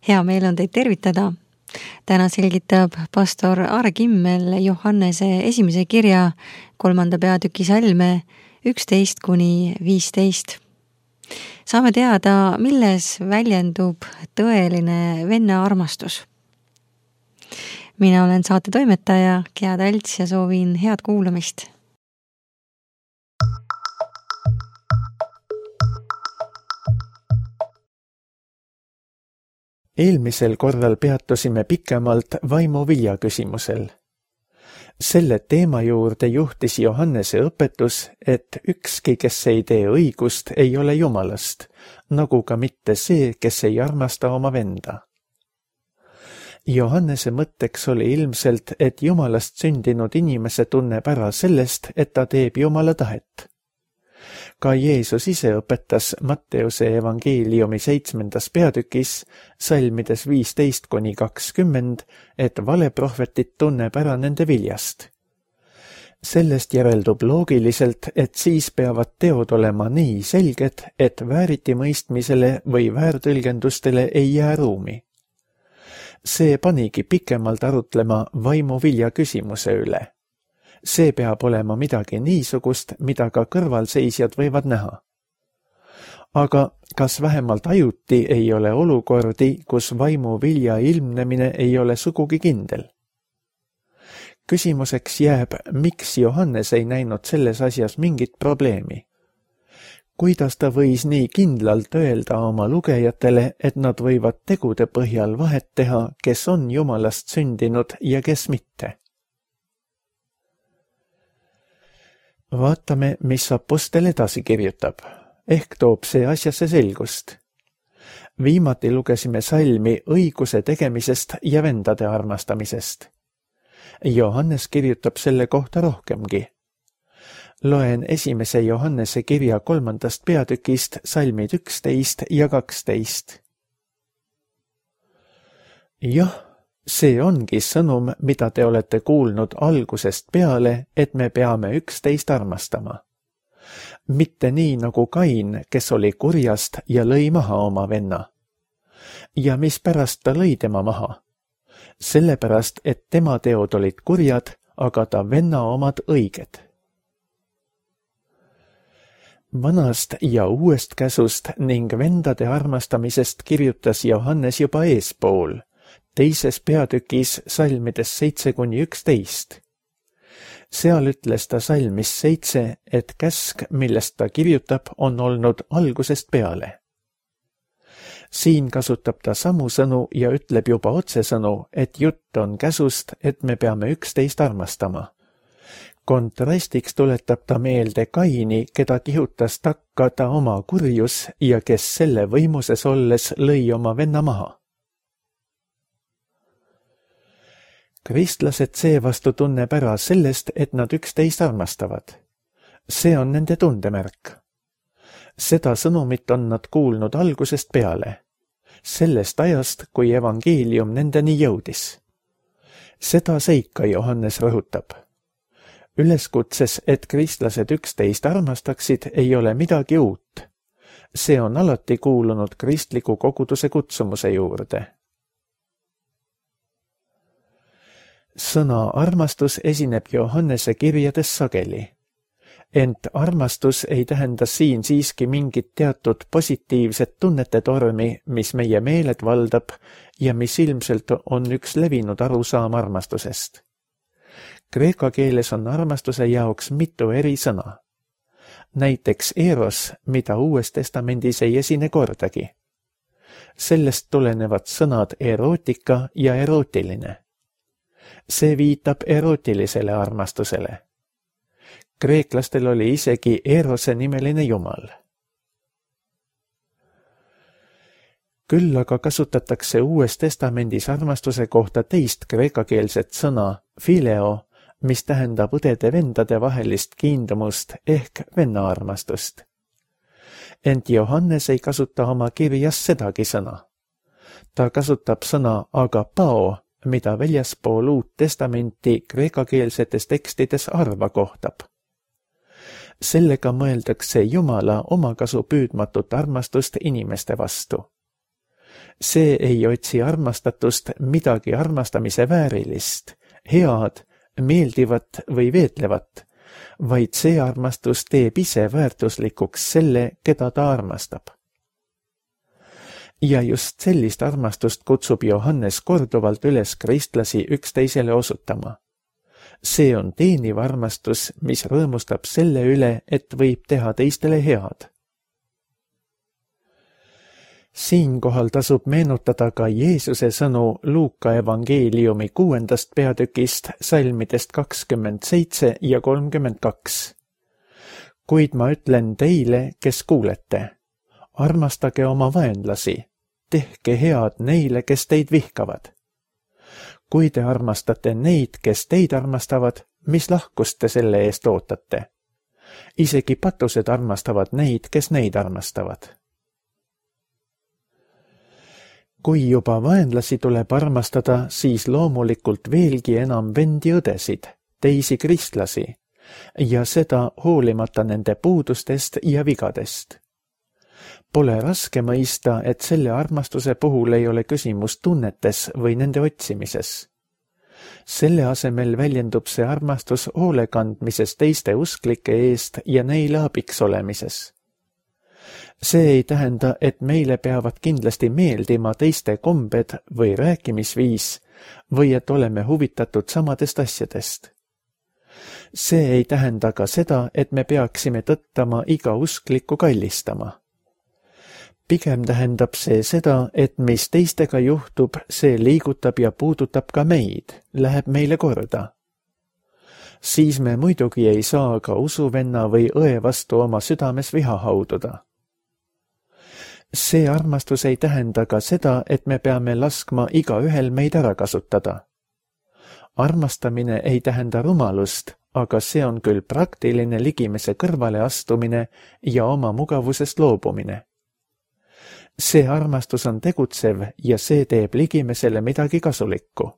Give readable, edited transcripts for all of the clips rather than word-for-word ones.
Hea meel on teid tervitada. Täna selgitab pastor Aare Kimmel Johannese esimese kirja 3. peatüki salme 11-15. Saame teada, milles väljendub tõeline venna armastus. Mina olen saate toimetaja Gea Talts ja soovin head kuulamist. Eelmisel korral peatusime pikemalt vaimuvilja küsimusel. Selle teema juurde juhtis Johannese õpetus, et ükski, kes ei tee õigust, ei ole Jumalast, nagu ka mitte see, kes ei armasta oma venda. Johannese mõtteks oli ilmselt, et Jumalast sündinud inimese tunneb ära sellest, et ta teeb Jumala tahet. Ka Jeesus ise õpetas Matteuse evangeeliumi 7. peatükis, salmides 15-20, et valeprohvetit tunneb ära nende viljast. Sellest järeldub loogiliselt, et siis peavad teod olema nii selged, et vääritimõistmisele või väärtõlgendustele ei jää ruumi. See panigi pikemalt arutlema vaimuvilja küsimuse üle. See peab olema midagi niisugust, mida ka kõrvalseisjad võivad näha. Aga kas vähemalt ajuti ei ole olukordi, kus vaimuvilja ilmnemine ei ole sugugi kindel? Küsimuseks jääb, miks Johannes ei näinud selles asjas mingit probleemi. Kuidas ta võis nii kindlalt öelda oma lugejatele, et nad võivad tegude põhjal vahet teha, kes on Jumalast sündinud ja kes mitte? Vaatame, mis apostel edasi kirjutab. Ehk toob see asjasse selgust. Viimati lugesime salmi õiguse tegemisest ja vendade armastamisest. Johannes kirjutab selle kohta rohkemgi. Loen 1. Johannese kirja 3. peatükist salmid 11 ja 12. Jah, see ongi sõnum, mida te olete kuulnud algusest peale, et me peame üksteist armastama. Mitte nii nagu Kain, kes oli kurjast ja lõi maha oma venna. Ja mispärast ta lõi tema maha? Sellepärast, et tema teod olid kurjad, aga ta venna omad õiged. Vanast ja uuest käsust ning vendade armastamisest kirjutas Johannes juba eespool, 2. peatükis salmides 7-11. Seal ütles ta salmis 7, et käsk, millest ta kirjutab, on olnud algusest peale. Siin kasutab ta samu sõnu ja ütleb juba otsesõnu, et jutt on käsust, et me peame üksteist armastama. Kontrastiks tuletab ta meelde Kaini, keda kihutas takka ta oma kurjus ja kes selle võimuses olles lõi oma venna maha. Kristlased seevastu tunneb ära sellest, et nad üksteist armastavad. See on nende tundemärk. Seda sõnumit on nad kuulnud algusest peale. Sellest ajast, kui evangeelium nendeni jõudis. Seda seika Johannes rõhutab. Üleskutses, et kristlased üksteist armastaksid, ei ole midagi uut. See on alati kuulunud kristliku koguduse kutsumuse juurde. Sõna armastus esineb Johannese kirjades sageli. Ent armastus ei tähenda siin siiski mingit teatud positiivset tunnete tormi, mis meie meeled valdab ja mis ilmselt on üks levinud arusaam armastusest. Kreeka keeles on armastuse jaoks mitu eri sõna. Näiteks eros, mida Uues Testamendis ei esine kordagi. Sellest tulenevad sõnad erootika ja erootiline. See viitab erootilisele armastusele. Kreeklastel oli isegi Erose nimeline jumal. Küll aga kasutatakse Uues Testamendis armastuse kohta teist kreekakeelset sõna, phileo, mis tähendab õdede-vendade vahelist kiindumust ehk vennaarmastust. Ent Johannes ei kasuta oma kirjas sedagi sõna. Ta kasutab sõna agapao, mida väljaspool Uut Testamenti kreekakeelsetes tekstides arva kohtab. Sellega mõeldakse Jumala omakasu püüdmatut armastust inimeste vastu. See ei otsi armastatust midagi armastamise väärilist, head, meeldivat või veetlevat, vaid see armastus teeb ise väärtuslikuks selle, keda ta armastab. Ja just sellist armastust kutsub Johannes korduvalt üles kristlasi üksteisele osutama. See on teeniv armastus, mis rõõmustab selle üle, et võib teha teistele head. Siinkohal tasub meenutada ka Jeesuse sõnu Luuka evangeeliumi 6. peatükist salmidest 27 ja 32. Kuid ma ütlen teile, kes kuulete, armastage oma vaenlasi, tehke head neile, kes teid vihkavad. Kui te armastate neid, kes teid armastavad, mis lahkust te selle eest ootate? Isegi patused armastavad neid, kes neid armastavad. Kui juba vaenlasi tuleb armastada, siis loomulikult veelgi enam vendi õdesid, teisi kristlasi, ja seda hoolimata nende puudustest ja vigadest. Pole raske mõista, et selle armastuse puhul ei ole küsimus tunnetes või nende otsimises. Selle asemel väljendub see armastus hoolekandmises teiste usklike eest ja neile abiks olemises. See ei tähenda, et meile peavad kindlasti meeldima teiste kombed või rääkimisviis või et oleme huvitatud samadest asjadest. See ei tähenda ka seda, et me peaksime tõttama iga usklikku kallistama. Pigem tähendab see seda, et mis teistega juhtub, see liigutab ja puudutab ka meid, läheb meile korda. Siis me muidugi ei saa ka usuvenna või õe vastu oma südames viha haududa. See armastus ei tähenda ka seda, et me peame laskma igaühel meid ära kasutada. Armastamine ei tähenda rumalust, aga see on küll praktiline ligimese kõrvale astumine ja oma mugavusest loobumine. See armastus on tegutsev ja see teeb ligimesele midagi kasulikku.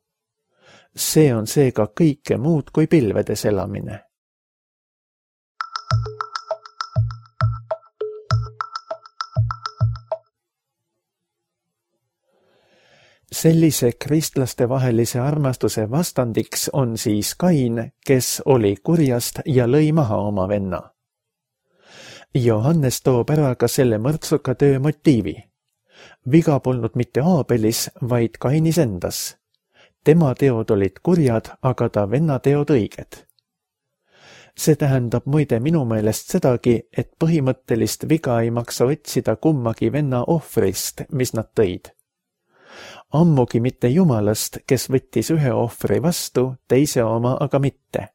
See on seega kõike muud kui pilvedes elamine. Sellise kristlaste vahelise armastuse vastandiks on siis Kain, kes oli kurjast ja lõi maha oma venna. Johannes toob ära ka selle mõrtsuka töö motiivi. Viga polnud mitte Aabelis, vaid Kainis endas. Tema teod olid kurjad, aga ta venna teod õiged. See tähendab muide minu meelest sedagi, et põhimõttelist viga ei maksa otsida kummagi venna ohvrist, mis nad tõid. Ammugi mitte Jumalast, kes võttis ühe ohvri vastu, teise oma aga mitte.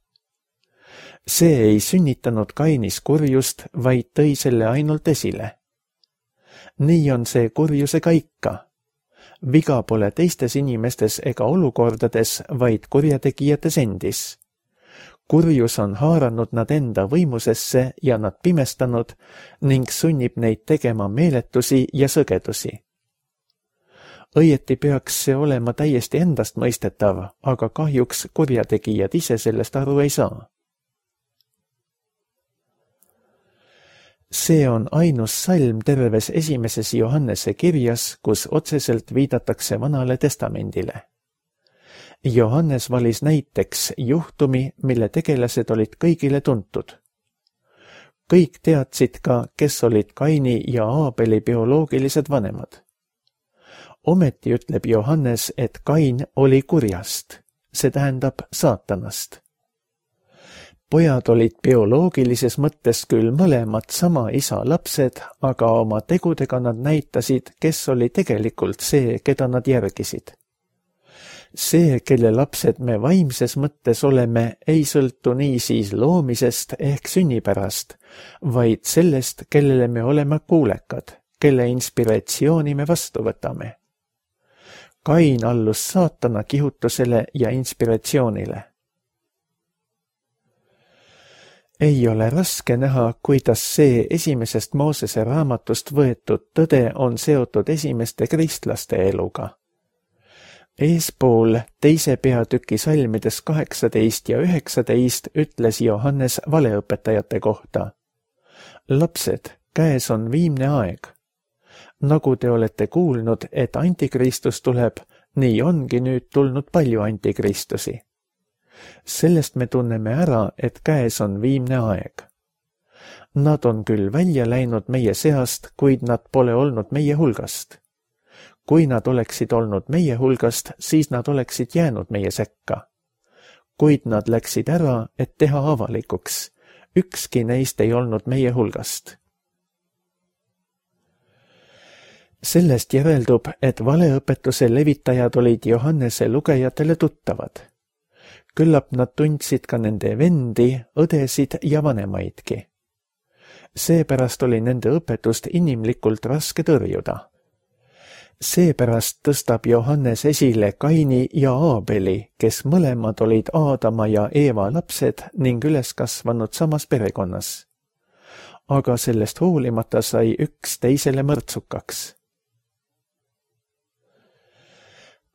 See ei sünnitanud Kainis kurjust, vaid tõi selle ainult esile. Nii on see kurjusega ikka. Viga pole teistes inimestes ega olukordades, vaid kurjategijates endis. Kurjus on haaranud nad enda võimusesse ja nad pimestanud ning sunnib neid tegema meeletusi ja sõgedusi. Õieti peaks see olema täiesti endastmõistetav, aga kahjuks kurjategijad ise sellest aru ei saa. See on ainus salm terves esimeses Johannese kirjas, kus otseselt viidatakse Vanale Testamendile. Johannes valis näiteks juhtumi, mille tegelased olid kõigile tuntud. Kõik teadsid ka, kes olid Kaini ja Aabeli bioloogilised vanemad. Ometi ütleb Johannes, et Kain oli kurjast, see tähendab saatanast. Pojad olid bioloogilises mõttes küll mõlemad sama isa lapsed, aga oma tegudega nad näitasid, kes oli tegelikult see, keda nad järgisid. See, kelle lapsed me vaimses mõttes oleme, ei sõltu niisiis loomisest ehk sünnipärast, vaid sellest, kellele me oleme kuulekad, kelle inspiratsiooni me vastu võtame. Kain allus saatana kihutusele ja inspiratsioonile. Ei ole raske näha, kuidas see esimesest Moosese raamatust võetud tõde on seotud esimeste kristlaste eluga. Eespool 2. peatüki salmides 18 ja 19 ütles Johannes valeõpetajate kohta. Lapsed, käes on viimne aeg. Nagu te olete kuulnud, et antikristus tuleb, nii ongi nüüd tulnud palju antikristusi. Sellest me tunneme ära, et käes on viimne aeg. Nad on küll välja läinud meie seast, kuid nad pole olnud meie hulgast. Kui nad oleksid olnud meie hulgast, siis nad oleksid jäänud meie sekka. Kuid nad läksid ära, et teha avalikuks. Ükski neist ei olnud meie hulgast. Sellest järeldub, et valeõpetuse levitajad olid Johannese lugejatele tuttavad. Küllap nad tundsid ka nende vendi, õdesid ja vanemaidki. Seepärast oli nende õpetust inimlikult raske tõrjuda. Seepärast tõstab Johannes esile Kaini ja Aabeli, kes mõlemad olid Aadama ja Eeva lapsed ning üles kasvanud samas perekonnas. Aga sellest hoolimata sai üks teisele mõrtsukaks.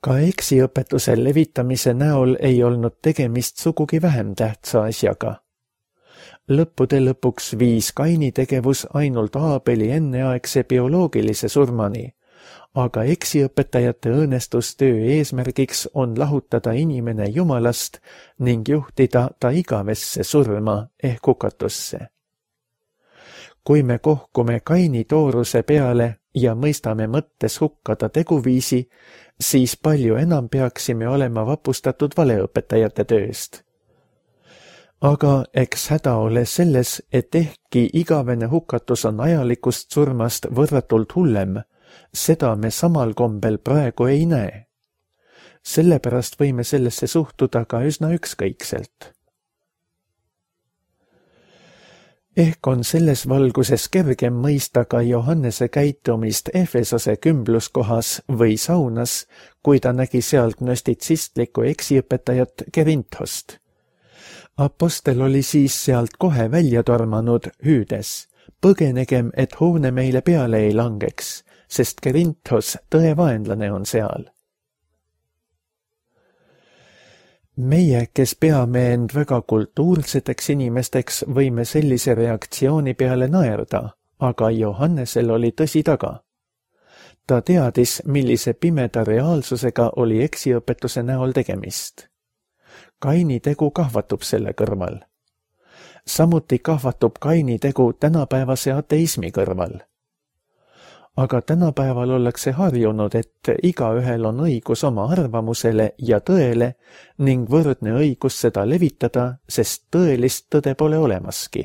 Ka eksiõpetuse levitamise näol ei olnud tegemist sugugi vähem tähtsa asjaga. Lõppude lõpuks viis Kaini tegevus ainult Aabeli enneaegse bioloogilise surmani, aga eksiõpetajate õõnestustöö eesmärgiks on lahutada inimene Jumalast ning juhtida ta igavesse surma ehk hukatusse. Kui me kohkume Kaini tooruse peale ja mõistame mõttes hukka ta teguviisi, siis palju enam peaksime olema vapustatud valeõpetajate tööst. Aga eks häda ole selles, et ehkki igavene hukatus on ajalikust surmast võrratult hullem, seda me samal kombel praegu ei näe. Sellepärast võime sellesse suhtuda ka üsna ükskõikselt. Ehk on selles valguses kergem mõista ka Johannese käitumist Efesose kümbluskohas või saunas, kui ta nägi seal gnostitsistlikku eksiõpetajat Kerinthost. Apostel oli siis sealt kohe välja tormanud, hüüdes: põgenegem, et hoone meile peale ei langeks, sest Kerinthos, tõe vaenlane, on seal. Meie, kes peame end väga kultuurseteks inimesteks, võime sellise reaktsiooni peale naerda, aga Johannesel oli tõsi taga. Ta teadis, millise pimeda reaalsusega oli eksiõpetuse näol tegemist. Kaini tegu kahvatub selle kõrval. Samuti kahvatub Kaini tegu tänapäevase ateismi kõrval. Aga tänapäeval ollakse harjunud, et igaühel on õigus oma arvamusele ja tõele ning võrdne õigus seda levitada, sest tõelist tõde pole olemaski.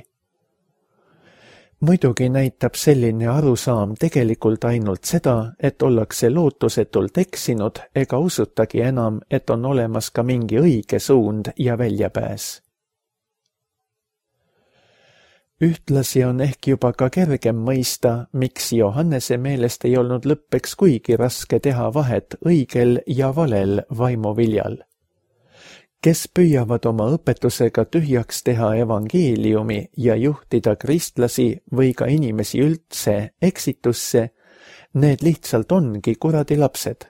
Muidugi näitab selline arusaam tegelikult ainult seda, et ollakse lootusetult eksinud ega usutagi enam, et on olemas ka mingi õige suund ja väljapääs. Ühtlasi on ehk juba ka kergem mõista, miks Johannese meelest ei olnud lõppeks kuigi raske teha vahet õigel ja valel vaimuviljal. Kes püüavad oma õpetusega tühjaks teha evangeeliumi ja juhtida kristlasi või ka inimesi üldse eksitusse, need lihtsalt ongi kuradi lapsed,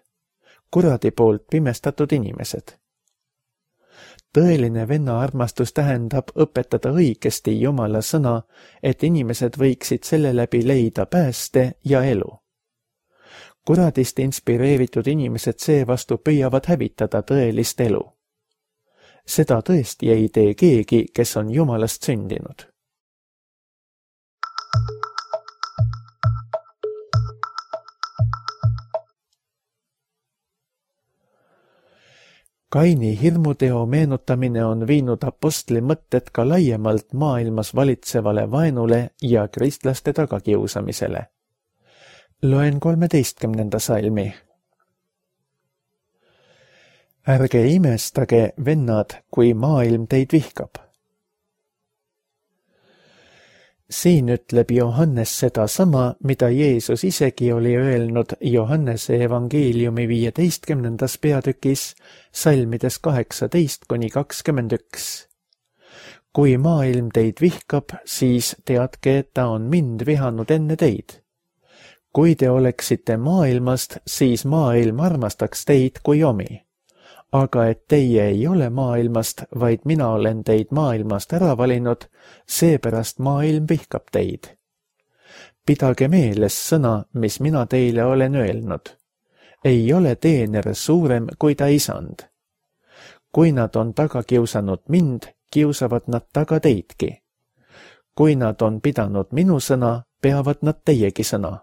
kuradi poolt pimestatud inimesed. Tõeline venna armastus tähendab õpetada õigesti Jumala sõna, et inimesed võiksid selle läbi leida pääste ja elu. Kuradist inspireeritud inimesed seevastu püüavad hävitada tõelist elu. Seda tõesti ei tee keegi, kes on Jumalast sündinud. Kaini hirmuteo meenutamine on viinud apostli mõtted ka laiemalt maailmas valitsevale vaenule ja kristlaste tagakiusamisele. Loen 13. salmi. Ärge imestage, vennad, kui maailm teid vihkab. Siin ütleb Johannes sedasama, mida Jeesus isegi oli öelnud Johannese evangeeliumi 15. peatükis, salmides 18–21. Kui maailm teid vihkab, siis teadke, et ta on mind vihanud enne teid. Kui te oleksite maailmast, siis maailm armastaks teid kui omi. Aga et teie ei ole maailmast, vaid mina olen teid maailmast ära valinud, seepärast maailm vihkab teid. Pidage meeles sõna, mis mina teile olen öelnud. Ei ole teener suurem kui ta isand. Kui nad on taga kiusanud mind, kiusavad nad taga teidki. Kui nad on pidanud minu sõna, peavad nad teiegi sõna.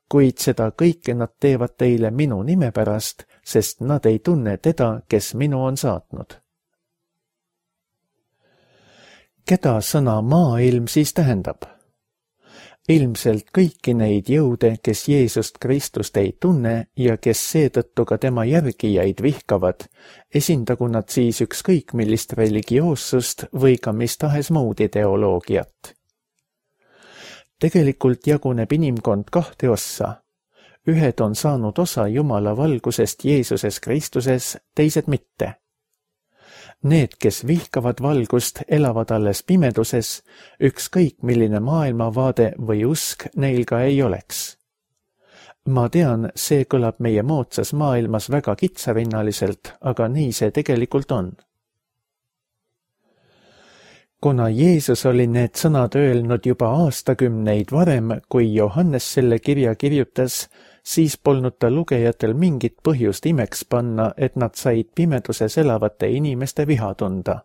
Kuid seda kõike nad teevad teile minu nime pärast, sest nad ei tunne teda, kes minu on saatnud. Keda sõna maailm siis tähendab? Ilmselt kõiki neid jõude, kes Jeesust Kristust ei tunne ja kes seetõttu ka tema järgijaid vihkavad, esindagu nad siis ükskõik millist religioossust või ka mis tahes muud ideoloogiat. Tegelikult jaguneb inimkond kahte ossa. Ühed on saanud osa Jumala valgusest Jeesuses Kristuses, teised mitte. Need, kes vihkavad valgust, elavad alles pimeduses, ükskõik milline maailmavaade või usk neil ka ei oleks. Ma tean, see kõlab meie moodsas maailmas väga kitsarinnaliselt, aga nii see tegelikult on. Kuna Jeesus oli need sõnad öelnud juba aastakümneid varem, kui Johannes selle kirja kirjutas, siis polnud ta lugejatel mingit põhjust imeks panna, et nad said pimeduses elavate inimeste viha tunda.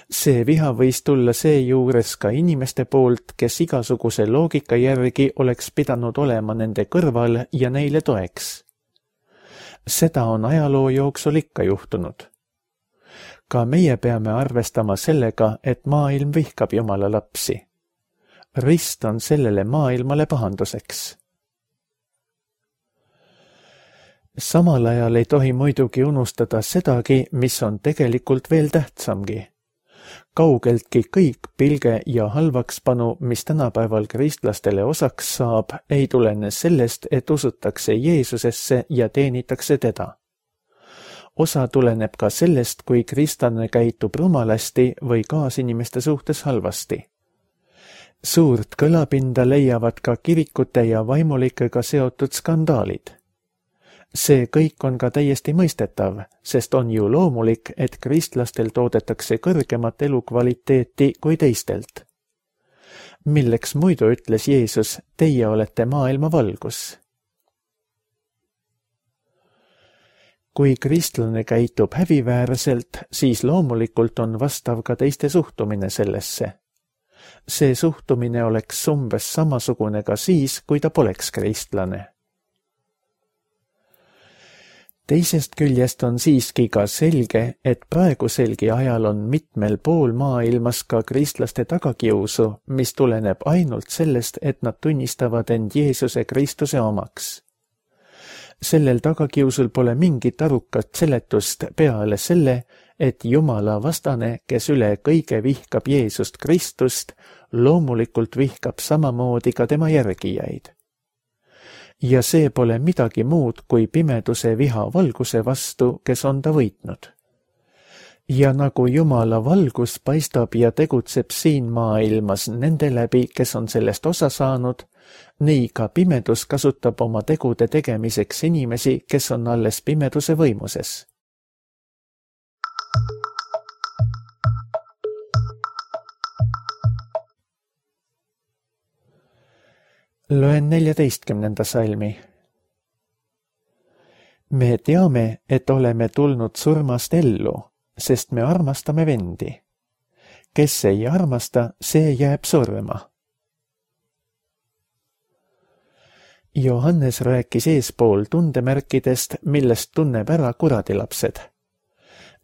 See viha võis tulla seejuures ka inimeste poolt, kes igasuguse loogika järgi oleks pidanud olema nende kõrval ja neile toeks. Seda on ajaloo jooksul ikka juhtunud. Ka meie peame arvestama sellega, et maailm vihkab Jumala lapsi. Rist on sellele maailmale pahanduseks. Samal ajal ei tohi muidugi unustada sedagi, mis on tegelikult veel tähtsamgi. Kaugeltki kõik pilge ja halvakspanu, mis tänapäeval kristlastele osaks saab, ei tulene sellest, et usutakse Jeesusesse ja teenitakse teda. Osa tuleneb ka sellest, kui kristlane käitub rumalasti või kaasinimeste suhtes halvasti. Suurt kõlapinda leiavad ka kirikute ja vaimulikega seotud skandaalid. See kõik on ka täiesti mõistetav, sest on ju loomulik, et kristlastel toodetakse kõrgemat elukvaliteeti kui teistelt. Milleks muidu ütles Jeesus, teie olete maailma valgus? Kui kristlane käitub häbiväärselt, siis loomulikult on vastav ka teiste suhtumine sellesse. See suhtumine oleks umbes samasugune ka siis, kui ta poleks kristlane. Teisest küljest on siiski ka selge, et praeguselgi ajal on mitmel pool maailmas ka kristlaste tagakiusu, mis tuleneb ainult sellest, et nad tunnistavad end Jeesuse Kristuse omaks. Sellel tagakiusul pole mingit arukat seletust peale selle, et Jumala vastane, kes üle kõige vihkab Jeesust Kristust, loomulikult vihkab samamoodi ka tema järgijaid. Ja see pole midagi muud kui pimeduse viha valguse vastu, kes on ta võitnud. Ja nagu Jumala valgus paistab ja tegutseb siin maailmas nende läbi, kes on sellest osa saanud, nii ka pimedus kasutab oma tegude tegemiseks inimesi, kes on alles pimeduse võimuses. Loen 14. salmi. Me teame, et oleme tulnud surmast ellu, sest me armastame vendi. Kes ei armasta, see jääb surma. Johannes rääkis eespool tundemärkidest, millest tunneb ära kuradilapsed.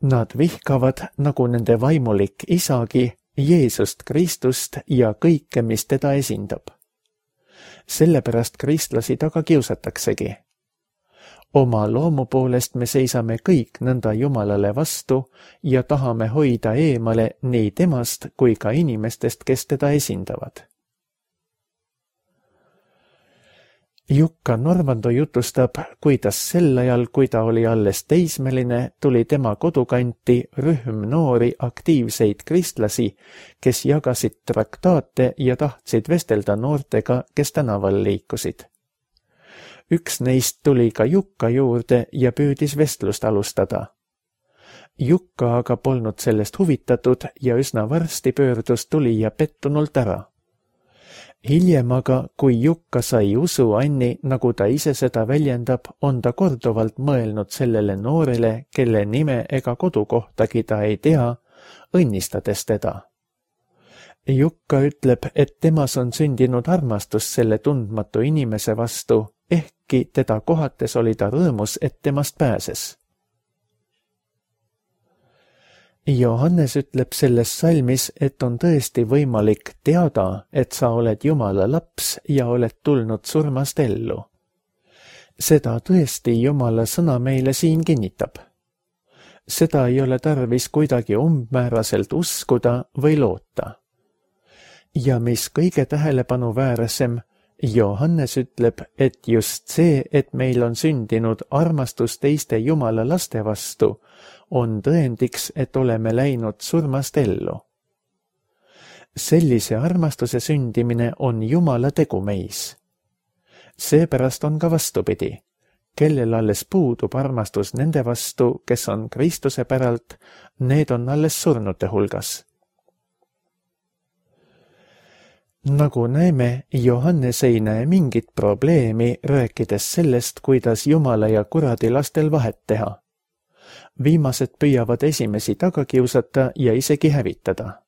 Nad vihkavad, nagu nende vaimulik isagi, Jeesust Kristust ja kõike, mis teda esindab. Sellepärast kristlasi taga kiusataksegi. Oma loomu poolest me seisame kõik nõnda Jumalale vastu ja tahame hoida eemale nii temast kui ka inimestest, kes teda esindavad. Jukka Normando jutustab, kuidas sel ajal, kui ta oli alles teismeline, tuli tema kodukanti rühm noori aktiivseid kristlasi, kes jagasid traktaate ja tahtsid vestelda noortega, kes tänaval liikusid. Üks neist tuli ka Jukka juurde ja püüdis vestlust alustada. Jukka aga polnud sellest huvitatud ja üsna varsti pöördus tulija pettunult ära. Hiljem aga, kui Jukka sai usu Anni, nagu ta ise seda väljendab, on ta korduvalt mõelnud sellele noorele, kelle nime ega kodukohtagi ta ei tea, õnnistades teda. Jukka ütleb, et temas on sündinud armastus selle tundmatu inimese vastu, ehkki teda kohates oli ta rõõmus, et temast pääses. Johannes ütleb selles salmis, et on tõesti võimalik teada, et sa oled Jumala laps ja oled tulnud surmast ellu. Seda tõesti Jumala sõna meile siin kinnitab. Seda ei ole tarvis kuidagi umbmääraselt uskuda või loota. Ja mis kõige tähelepanuväärsem, Johannes ütleb, et just see, et meil on sündinud armastus teiste Jumala laste vastu, on tõendiks, et oleme läinud surmast ellu. Sellise armastuse sündimine on Jumala tegu meis. Seepärast on ka vastupidi, kellel alles puudub armastus nende vastu, kes on Kristuse päralt, need on alles surnute hulgas. Nagu näeme, Johannes ei näe mingit probleemi, rääkides sellest, kuidas Jumala ja kuradi lastel vahet teha. Viimased püüavad esimesi taga kiusata ja isegi hävitada.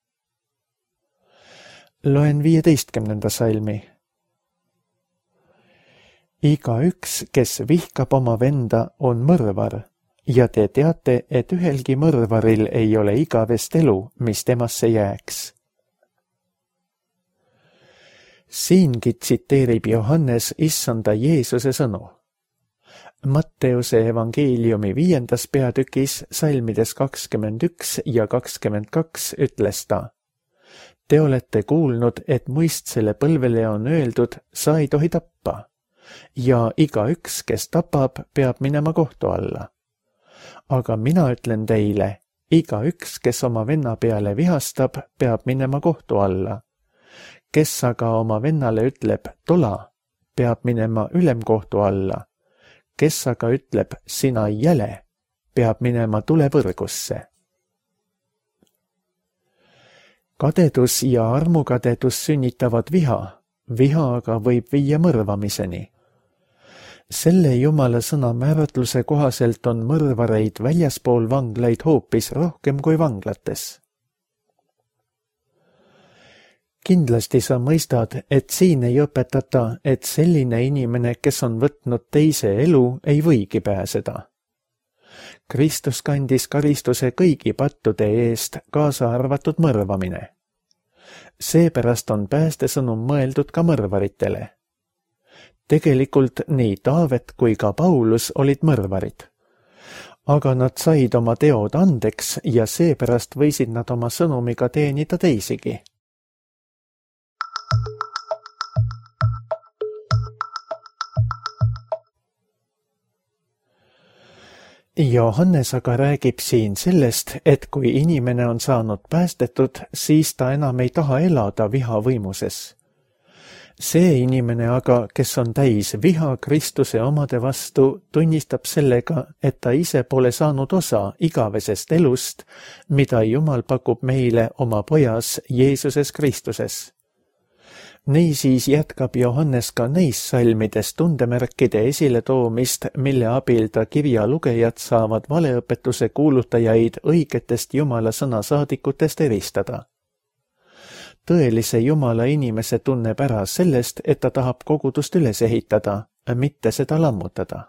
Loen 15. salmi. Igaüks, kes vihkab oma venda, on mõrvar, ja te teate, et ühelgi mõrvaril ei ole igavest elu, mis temasse jääks. Siingi tsiteerib Johannes issanda Jeesuse sõnu. Matteuse evangeeliumi 5. peatükis salmides 21 ja 22 ütles ta: Te olete kuulnud, et muistsele põlvele on öeldud, sa ei tohi tappa, ja igaüks, kes tapab, peab minema kohtu alla. Aga mina ütlen teile, igaüks, kes oma venna peale vihastab, peab minema kohtu alla. Kes aga oma vennale ütleb tola, peab minema ülemkohtu alla. Kes aga ütleb sina jäle, peab minema tulevõrgusse. Kadedus ja armukadedus sünnitavad viha, viha aga võib viia mõrvamiseni. Selle Jumala sõna määratluse kohaselt on mõrvareid väljaspool vanglaid hoopis rohkem kui vanglates. Kindlasti sa mõistad, et siin ei õpetata, et selline inimene, kes on võtnud teise elu, ei võigi pääseda. Kristus kandis karistuse kõigi pattude eest, kaasa arvatud mõrvamine. Seepärast on päästesõnum mõeldud ka mõrvaritele. Tegelikult nii Taavet kui ka Paulus olid mõrvarid. Aga nad said oma teod andeks ja seepärast võisid nad oma sõnumiga teenida teisigi. Johannes aga räägib siin sellest, et kui inimene on saanud päästetud, siis ta enam ei taha elada viha võimuses. See inimene aga, kes on täis viha Kristuse omade vastu, tunnistab sellega, et ta ise pole saanud osa igavesest elust, mida Jumal pakub meile oma pojas Jeesuses Kristuses. Niisiis jätkab Johannes ka neis salmides tundemärkide esiletoomist, mille abil ta kirja lugejad saavad valeõpetuse kuulutajaid õigetest Jumala sõna saadikutest eristada. Tõelise Jumala inimese tunneb ära sellest, et ta tahab kogudust üles ehitada, mitte seda lammutada.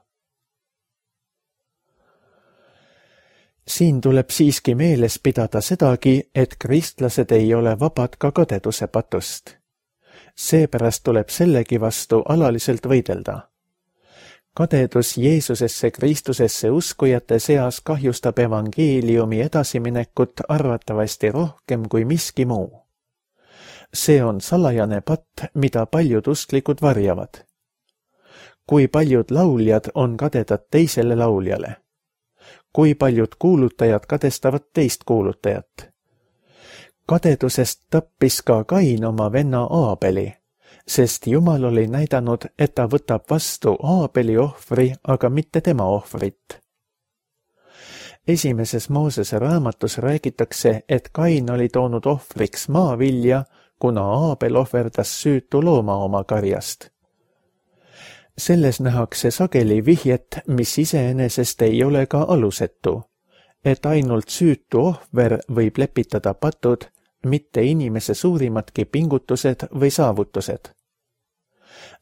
Siin tuleb siiski meeles pidada sedagi, et kristlased ei ole vabad ka kadeduse patust. Seepärast tuleb sellegi vastu alaliselt võidelda. Kadedus Jeesusesse Kristusesse uskujate seas kahjustab evangeeliumi edasiminekut arvatavasti rohkem kui miski muu. See on salajane patt, mida paljud usklikud varjavad. Kui paljud lauljad on kadedad teisele lauljale? Kui paljud kuulutajad kadestavad teist kuulutajat? Kadedusest tappis ka Kain oma venna Aabeli, sest Jumal oli näidanud, et ta võtab vastu Aabeli ohvri, aga mitte tema ohvrit. Esimeses Moosese raamatus räägitakse, et Kain oli toonud ohvriks maavilja, kuna Aabel ohverdas süütu looma oma karjast. Selles nähakse sageli vihjet, mis iseenesest ei ole ka alusetu, et ainult süütu ohver võib lepitada patud, mitte inimese suurimatki pingutused või saavutused.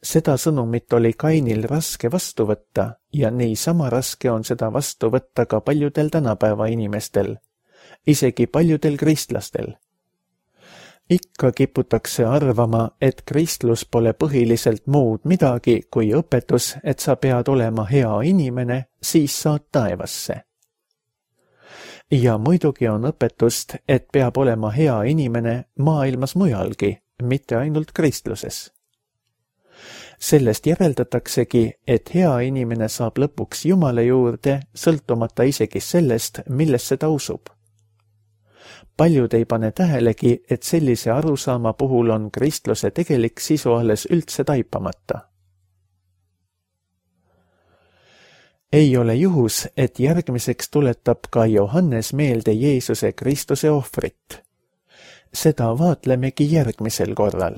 Seda sõnumit oli Kainil raske vastu võtta ja niisama raske on seda vastu võtta ka paljudel tänapäeva inimestel, isegi paljudel kristlastel. Ikka kiputakse arvama, et kristlus pole põhiliselt muud midagi kui õpetus, et sa pead olema hea inimene, siis saad taevasse. Ja muidugi on õpetust, et peab olema hea inimene maailmas mujalgi, mitte ainult kristluses. Sellest järeldataksegi, et hea inimene saab lõpuks Jumala juurde, sõltumata isegi sellest, millesse ta usub. Paljud ei pane tähelegi, et sellise arusaama puhul on kristluse tegelik sisu alles üldse taipamata. Ei ole juhus, et järgmiseks tuletab ka Johannes meelde Jeesuse Kristuse ohvrit. Seda vaatlemegi järgmisel korral.